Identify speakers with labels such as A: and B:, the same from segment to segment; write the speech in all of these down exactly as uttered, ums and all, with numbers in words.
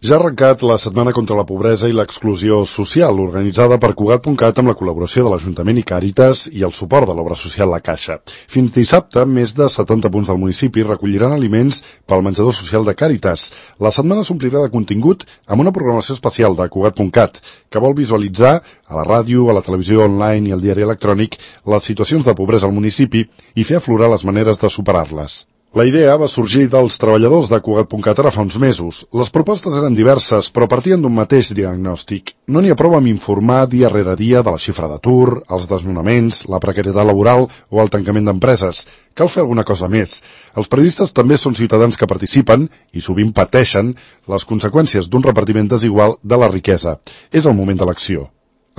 A: Ja ha arrencat la Setmana contra la Pobresa i l'Exclusió Social, organitzada per Cugat punt cat amb la col·laboració de l'Ajuntament i Càritas i el suport de l'obra social La Caixa. Fins dissabte, més de setanta punts del municipi recolliran aliments pel menjador social de Càritas. La setmana s'omplirà de contingut amb una programació especial de Cugat punt cat, que vol visualitzar a la ràdio, a la televisió online i al diari electrònic les situacions de pobresa al municipi i fer aflorar les maneres de superar-les. La idea va sorgir dels treballadors de Cugat punt cat ara fa uns mesos. Les propostes eren diverses, però partien d'un mateix diagnòstic. No n'hi ha prou amb informar dia rere dia de la xifra d'atur, els desnonaments, la precarietat laboral o el tancament d'empreses. Cal fer alguna cosa més. Els periodistes també són ciutadans que participen i sovint pateixen les conseqüències d'un repartiment desigual de la riquesa. És el moment de l'acció.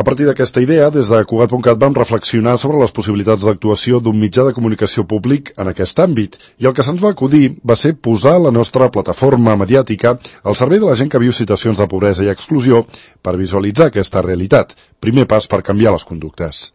A: A partir d'aquesta idea, des de Cugat punt cat vam reflexionar sobre les possibilitats d'actuació d'un mitjà de comunicació públic en aquest àmbit, i el que se'ns va acudir va ser posar la nostra plataforma mediàtica al servei de la gent que viu situacions de pobresa i exclusió per visualitzar aquesta realitat, primer pas per canviar les conductes.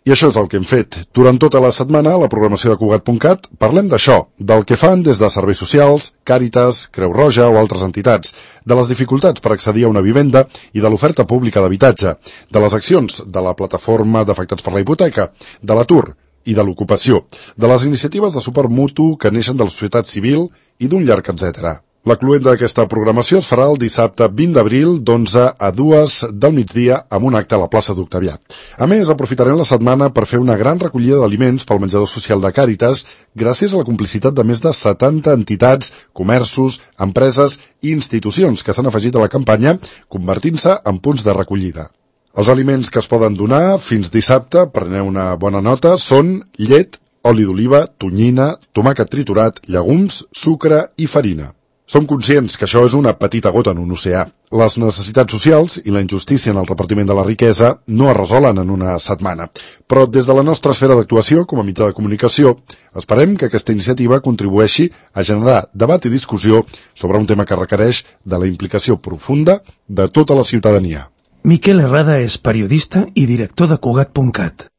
A: I això és el que hem fet. Durant tota la setmana, a la programació de Cugat punt cat, parlem d'això, del que fan des de serveis socials, Càritas, Creu Roja o altres entitats, de les dificultats per accedir a una vivenda i de l'oferta pública d'habitatge, de les accions de la plataforma d'afectats per la hipoteca, de l'atur i de l'ocupació, de les iniciatives de suport mutu que neixen de la societat civil i d'un llarg etcètera. La cluenda d'aquesta programació es farà el dissabte vint d'abril d'onze a dues del migdia amb un acte a la plaça d'Octavià. A més, aprofitarem la setmana per fer una gran recollida d'aliments pel menjador social de Càritas gràcies a la complicitat de més de setanta entitats, comerços, empreses i institucions que s'han afegit a la campanya, convertint-se en punts de recollida. Els aliments que es poden donar fins dissabte, preneu una bona nota, són llet, oli d'oliva, tonyina, tomàquet triturat, llegums, sucre i farina. Som conscients que això és una petita gota en un oceà. Les necessitats socials i la injustícia en el repartiment de la riquesa no es resolen en una setmana. Però des de la nostra esfera d'actuació, com a mitjà de comunicació, esperem que aquesta iniciativa contribueixi a generar debat i discussió sobre un tema que requereix de la implicació profunda de tota la ciutadania.
B: Miquel Herrada és periodista i director de Cugat punt cat.